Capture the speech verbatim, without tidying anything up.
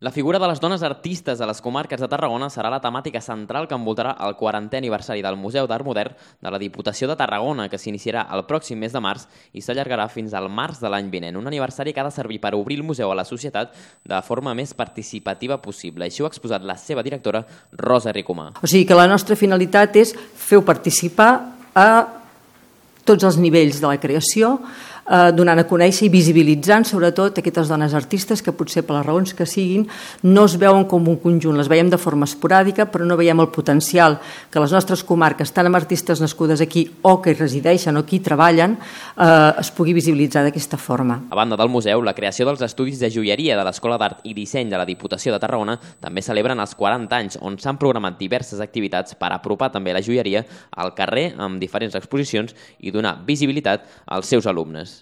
La figura de les dones artistes a les comarques de Tarragona serà la temàtica central que envoltarà el quarantè aniversari del Museu d'Art Modern de la Diputació de Tarragona, que s'iniciarà el pròxim mes de març i s'allargarà fins al març de l'any vinent. Un aniversari que ha de servir per obrir el museu a la societat de forma més participativa possible. Així ho ha exposat la seva directora, Rosa Ricomà. O sigui que la nostra finalitat és fer-ho participar a tots els nivells de la creació, eh, donant a conèixer i visibilitzant sobretot aquestes dones artistes que potser per les raons que siguin no es veuen com un conjunt, les veiem de forma esporàdica però no veiem el potencial que les nostres comarques, tant amb artistes nascudes aquí o que hi resideixen o aquí treballen, eh, es pugui visibilitzar d'aquesta forma. A banda del museu, la creació dels estudis de joieria de l'Escola d'Art i Disseny de la Diputació de Tarragona també celebren els quaranta anys, on s'han programat diverses activitats per apropar també la joieria al carrer amb diferents exposicions i donar visibilitat als seus alumnes.